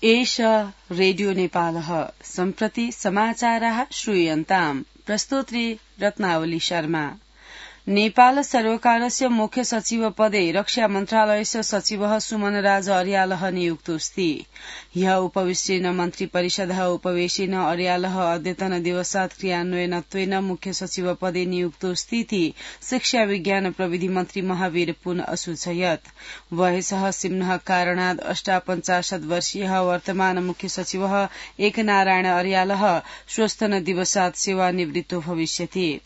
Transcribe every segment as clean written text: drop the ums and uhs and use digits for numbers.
एष रेडियो नेपालः सम्प्रति समाचाराः श्रूयन्ताम्। प्रस्तोत्री रत्नावली शर्मा। नेपाल सर्वकारस्य मुख्य सचिव पदे रक्षा मन्त्रालयस्य सचिवः सुमनराज अर्यालः नियुक्तोऽस्ति। ह्यः उपविष्टेन मन्त्री परिषदः उपवेशेन अर्यालः अद्यतन दिवसात् क्रियान्वयनत्वेन मुख्य सचिव पदे नियुक्तोऽस्तीति शिक्षा विज्ञान प्रविधि मन्त्री महावीर पुन असूचयत्। वयसः सिम्नः कारणाद् 58 वर्षीयः वर्तमान मुख्य सचिवः एकनारायण अर्यालः श्वस्तन दिवसात् सेवानिवृत्तो भविष्यति।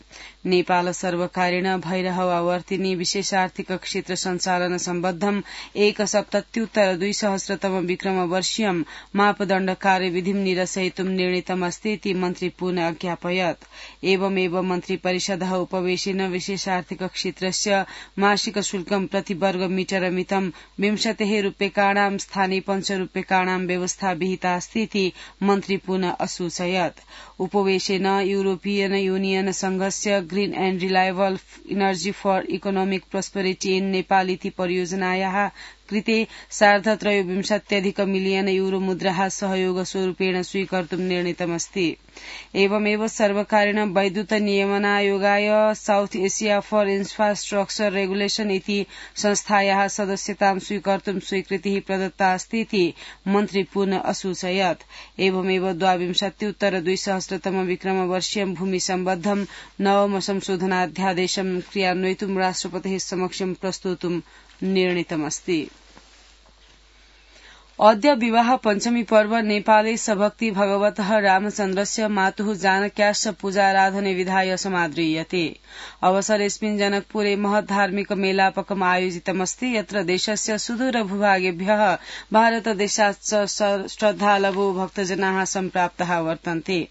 नेपाल सर्वकारेण भैरहवावर्तिनी विशेष आर्थिक क्षेत्र सञ्चालन सम्बद्धम् 1/77/2000 विक्रम वर्षीयम् मापदण्ड कार्यविधिं निरसयितुं निर्णीतमस्ति इति मन्त्री पुन अज्ञापयत्। एवमेव मन्त्री परिषदः उपवेशेन विशेष आर्थिक क्षेत्रस्य मासिक शुल्कं प्रति वर्ग मीटर मितं 20 रूप्यकाणां स्थाने 5 रूप्यकाणां व्यवस्था विहितास्ति इति मन्त्री पुन असूचयत्। उपवेशेन यूरोपियन यूनियन संघस्य green and reliable energy for economic prosperity in Nepal इति परियोजनायाः कृते 23.5 मिलियन यूरो मुद्राः सहयोग स्वरूपेण स्वीकर्तुं निर्णीतमस्ति। एवमेव सर्वकारेण वैद्युत नियमनायोगाय साउथ एशिया फर इन्फ्रास्ट्रक्चर रेगुलेशन इति संस्थायाः सदस्यतां स्वीकर्तुं स्वीकृतिः प्रदत्ता अस्ति इति मन्त्री पुन असूचयत्। एवमेव 22/2000 विक्रम वर्षीयं भूमि सम्बद्धं नवम संशोधनाध्यादेशं क्रियान्वयितुं राष्ट्रपतेः समक्षं प्रस्तोतुं निर्णीतमस्ति। अद्य विवाह पञ्चमी पर्व नेपाले सभक्ति भगवतः रामचन्द्रस्य मातुः जानक्याश्च पूजाराधने विधाय समाद्रियते। अवसरेऽस्मिन् जनकपुरे महत् धार्मिक मेलापकम् आयोजितमस्ति, यत्र देशस्य सुदूर भूभागेभ्यः भारतदेशाच्च श्रद्धालवो भक्तजनाः सम्प्राप्ताः वर्तन्ते।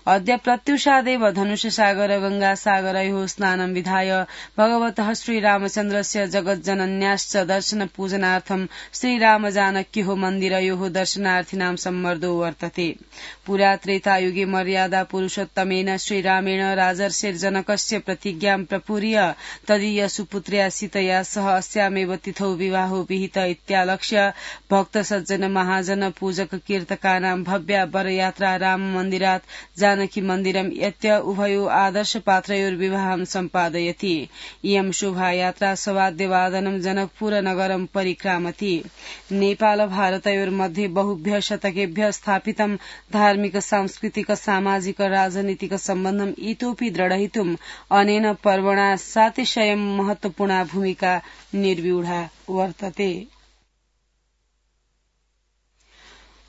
अद्य प्रत्युषादेव धनुषसागर गंगासागरयोः स्नानं विधाय भगवतः श्रीरामचन्द्रस्य जगज्जनन्याश्च दर्शन पूजनार्थं श्रीरामजानक्योः मन्दिरयोः दर्शनार्थिनां सम्मर्दो वर्तते। पुरा त्रेतायुगे मर्यादा पुरुषोत्तमेन श्रीरामेण राजर्षिर्जनकस्य प्रतिज्ञां प्रपूर्य तदीय सुपुत्र्या सीतया सह अस्यामेव तिथौ विवाहो विहित इत्यालक्ष्य भक्त सज्जन महाजन पूजक कीर्तकानां भव्या वरयात्रा राम मन्दिरात् जानकी मन्दिरं यत्य उभयो आदर्श पात्रयोर्विवाहं सम्पादयति। इयं शोभायात्रा सवाद्यवादनं जनकपुर नगरं परिक्रामति। नेपाल भारतयोर्मध्ये बहुभ्यः शतकेभ्यः स्थापितं धार्मिक सांस्कृतिक सामाजिक राजनीतिक सम्बन्धम् इतोपि दृढयितुम् अनेन पर्वणा सातिशयं महत्वपूर्णा भूमिका निर्व्यूढा वर्तते।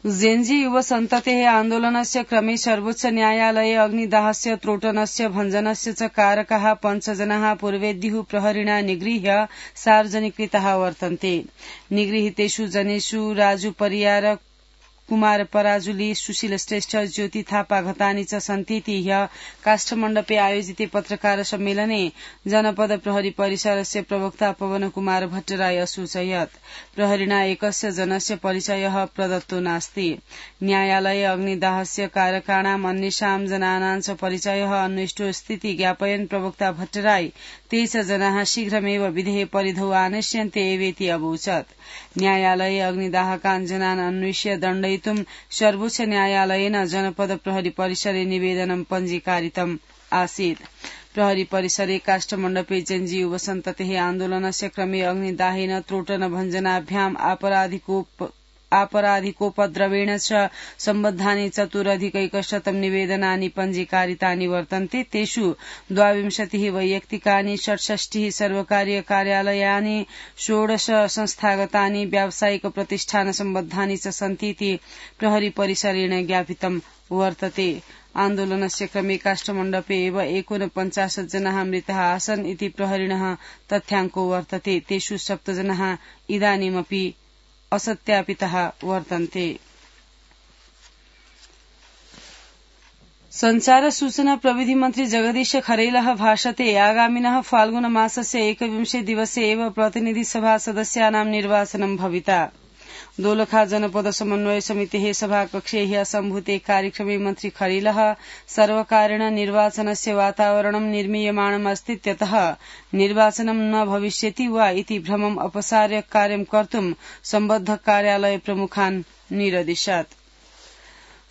जेन्जी युव सन्ततेः आन्दोलनस्य क्रमे सर्वोच्च न्यायालये अग्निदाहस्य त्रोटनस्य भञ्जनस्य च कारकाः 5 जनाः पूर्वेद्युः प्रहरिणा निगृह्य सार्वजनिकृताः वर्तन्ते। निगृहीतेषु जनेषु राजु परियार, कुमार पराजुली, सुशील श्रेष्ठ, ज्योति थापा घतानी च सन्तीति ह्यः काष्ठमण्डपे आयोजिते पत्रकार सम्मेलने जनपद प्रहरी परिसरस्य प्रवक्ता पवन कुमार भट्टराय असूचयत्। प्रहरिणा एकस्य जनस्य परिचयः प्रदत्तो नास्ति। न्यायालये अग्निदाहस्य कारकाणाम् अन्येषां जनानां च परिचयः अन्विष्टोऽस्तीति ज्ञापयन् प्रवक्ता भट्टराय 23 जनाः शीघ्रमेव विधेः परिधौ आनेष्यन्ते एवेति अवोचत्। न्यायालये अग्निदाहकान् जनान् अन्विष्य दण्डयितुं सर्वोच्च न्यायालयेन जनपद प्रहरी परिसरे निवेदनं पञ्जीकारितम् आसीत्। प्रहरी परिसरे काष्ठमण्डपे जेन्जी युव सन्ततेः आन्दोलनस्य क्रमे अग्निदाहेन त्रोटन भञ्जनाभ्याम् आपराधिकोपद्रवेण च सम्बद्धानि 4,100 निवेदनानि पञ्जीकारितानि वर्तन्ते। तेषु 22 वैयक्तिकानि, 67 सर्वकारीय कार्यालयानि, 16 संस्थागतानि, व्यावसायिक प्रतिष्ठान सम्बद्धानि च सन्तीति प्रहरी परिसरेण ज्ञापितं वर्तते। आन्दोलनस्य क्रमे काष्ठमण्डपे एव 49 जनाः मृताः आसन् इति प्रहरिणः तथ्याङ्को वर्तते। तेषु 7 जनाः इदानीमपि असत्यापिताः वर्तन्ते। संचार सूचना प्रविधि मन्त्री जगदीश खरेलः भाषते आगामिनः फाल्गुन मासस्य 21 दिवसे एव प्रतिनिधि सभा सदस्यानां निर्वाचनं भविता। दोलखा जनपद समन्वय समितेः सभाकक्षे ह्यः सम्भूते कार्यक्रमे मन्त्री खरीलः सर्वकारेण निर्वाचनस्य वातावरणं निर्मीयमाणमस्तीत्यतः निर्वाचनं न भविष्यति वा इति भ्रमम् अपसार्य कार्यं कर्तुं सम्बद्ध कार्यालय प्रमुखान् निरदिशत्।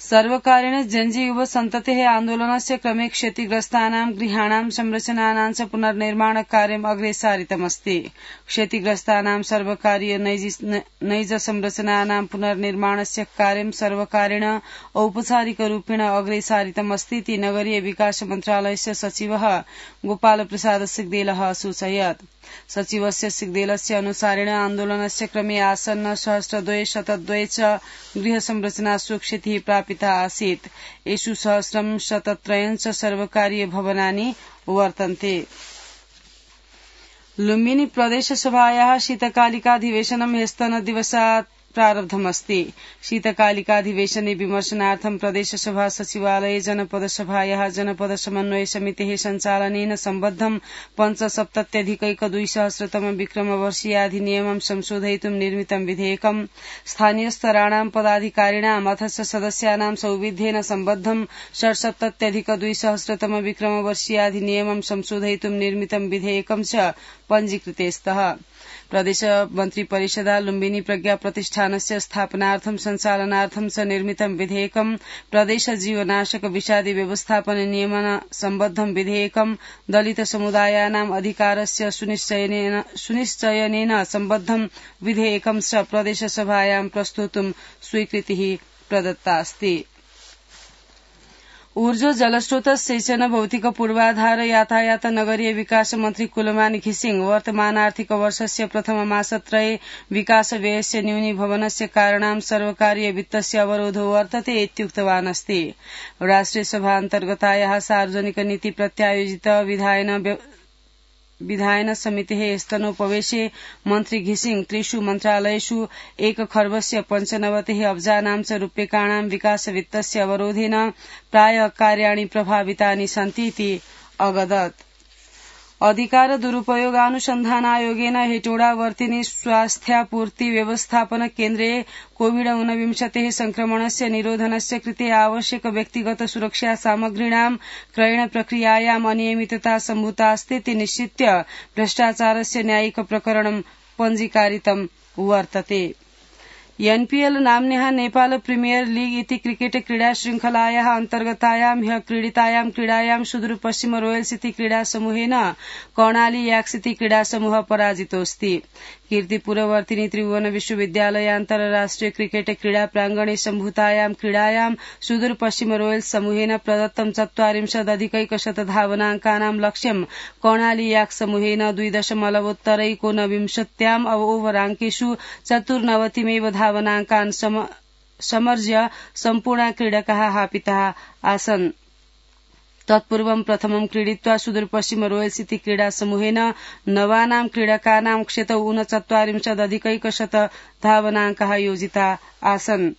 सर्वकारेण जनजी युव सन्ततेः आन्दोलनस्य क्रमे क्षतिग्रस्तानां गृहाणां संरचनानां च पुनर्निर्माण कार्यम् अग्रे सारितमस्ति। क्षतिग्रस्तानां सर्वकारीय नैज संरचनानां पुनर्निर्माणस्य कार्यं सर्वकारेण औपचारिकरूपेण अग्रे सारितमस्ति इति नगरीय विकास मन्त्रालयस्य सचिवः गोपालप्रसाद सिग्देलः असूचयत्। सचिवस्य सिग्देलस्य अनुसारेण आन्दोलनस्य क्रमे आसन्न 102 च गृह संरचनासु क्षतिः प्रापिता आसीत्। येषु 103 च सर्वकारीय भवनानि वर्तन्ते। लुम्बिनी प्रदेशसभायाः शीतकालिकाधिवेशनं ह्यस्तनदिवसात् प्रारब्धमस्ति। शीतकालिकाधिवेशने विमर्शनार्थं प्रदेशसभा सचिवालये जनपदसभायाः जनपद समन्वय समितेः सञ्चालनेन सम्बद्धं 5,70,200 विक्रमवर्षीयाधिनियमं संशोधयितुं निर्मितं विधेयकं स्थानीयस्तराणां पदाधिकारिणाम् अथ च सदस्यानां सौविध्येन सम्बद्धं 6,70,200 विक्रमवर्षीयाधिनियमं संशोधयितुं निर्मितं विधेयकं च पञ्जीकृते स्तः। प्रदेश मन्त्री परिषदा लुम्बिनी प्रज्ञा प्रतिष्ठानस्य स्थापनार्थं सञ्चालनार्थं च निर्मितं विधेयकं प्रदेश जीवनाशक विषादी व्यवस्थापन नियमन सम्बद्धं विधेयकं दलित समुदायानाम् अधिकारस्य सुनिश्चयनेन सम्बद्धं विधेयकं च प्रदेशसभायां प्रस्तोतुं स्वीकृतिः प्रदत्तास्ति। ऊर्जा जलस्रोत सिंचन भौतिक पूर्वाधार यातायात नगरीय विकास मन्त्री कुलमान घिसिङ वर्तमान आर्थिक वर्षस्य प्रथममासत्रये विकास व्ययस्य न्यूनीभवनस्य कारणां सर्वकारीय वित्तस्य अवरोधो वर्तते इत्युक्तवान् अस्ति। राष्ट्रिय सभा अन्तर्गतायाः सार्वजनिक नीति प्रत्यायोजित विधायन समितेः स्तनोपवेशे मन्त्री घिसिङ त्रिषु मन्त्रालयेषु 1 खर्बस्य 95 अब्जानां च रूप्यकाणां विकास वित्तस्य अवरोधेन प्रायः कार्याणि प्रभावितानि सन्ति इति अगदत्। अधिकार दुरुपयोगानुसन्धानायोगेन हेटोडावर्तिनि स्वास्थ्यापूर्ति व्यवस्थापन केन्द्रे कोविड-19 संक्रमणस्य निरोधनस्य कृते आवश्यक व्यक्तिगत सुरक्षा सामग्रीणां क्रयण प्रक्रियायाम् अनियमितता सम्भूतास्ति इति निश्चित्य भ्रष्टाचारस्य न्यायिक प्रकरणं पञ्जीकारितं वर्तते। एनपीएल नाम्न्याः नेपाल प्रीमियर लीग इति क्रिकेट क्रीडा श्रृंखलायाः अन्तर्गतायां ह्यः क्रीडितायां क्रीडायां सुदूरपश्चिम रोयल्स इति क्रीडा समूहेन कर्णाली याक्स इति क्रीडा समूह पराजितोऽस्ति। कीर्तिपुरवर्तिनि त्रिभुवन विश्वविद्यालय अन्तर्राष्ट्रिय क्रिकेट क्रीडा प्रांगणे सम्भूतायां क्रीडायां सुदूरपश्चिम रोयल्स समूहेन प्रदत्तं 40,100 धावनाङ्कानां लक्ष्यं कर्णाली याक्स समूहेन 2.19 ओभराङ्केषु 94 धावनाङ्कान् समर्ज्य सम्पूर्ण क्रीडकाः हापिताः आसन्। तत्पूर्वं प्रथमं क्रीडित्वा सुदूरपश्चिम रोयल्स इति क्रीडा समूहेन नवानां क्रीडकानां क्षतौ 39,100 धावनाङ्काः योजिता आसन्।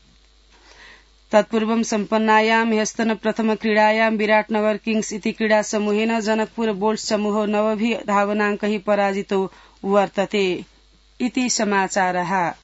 तत्पूर्वं सम्पन्नायां ह्यस्तन प्रथम क्रीडायां विराटनगर किंग्स इति क्रीडा समूहेन जनकपुर बोल्ट्स समूह 9 धावनाङ्कैः पराजितो वर्तते। इति समाचारः।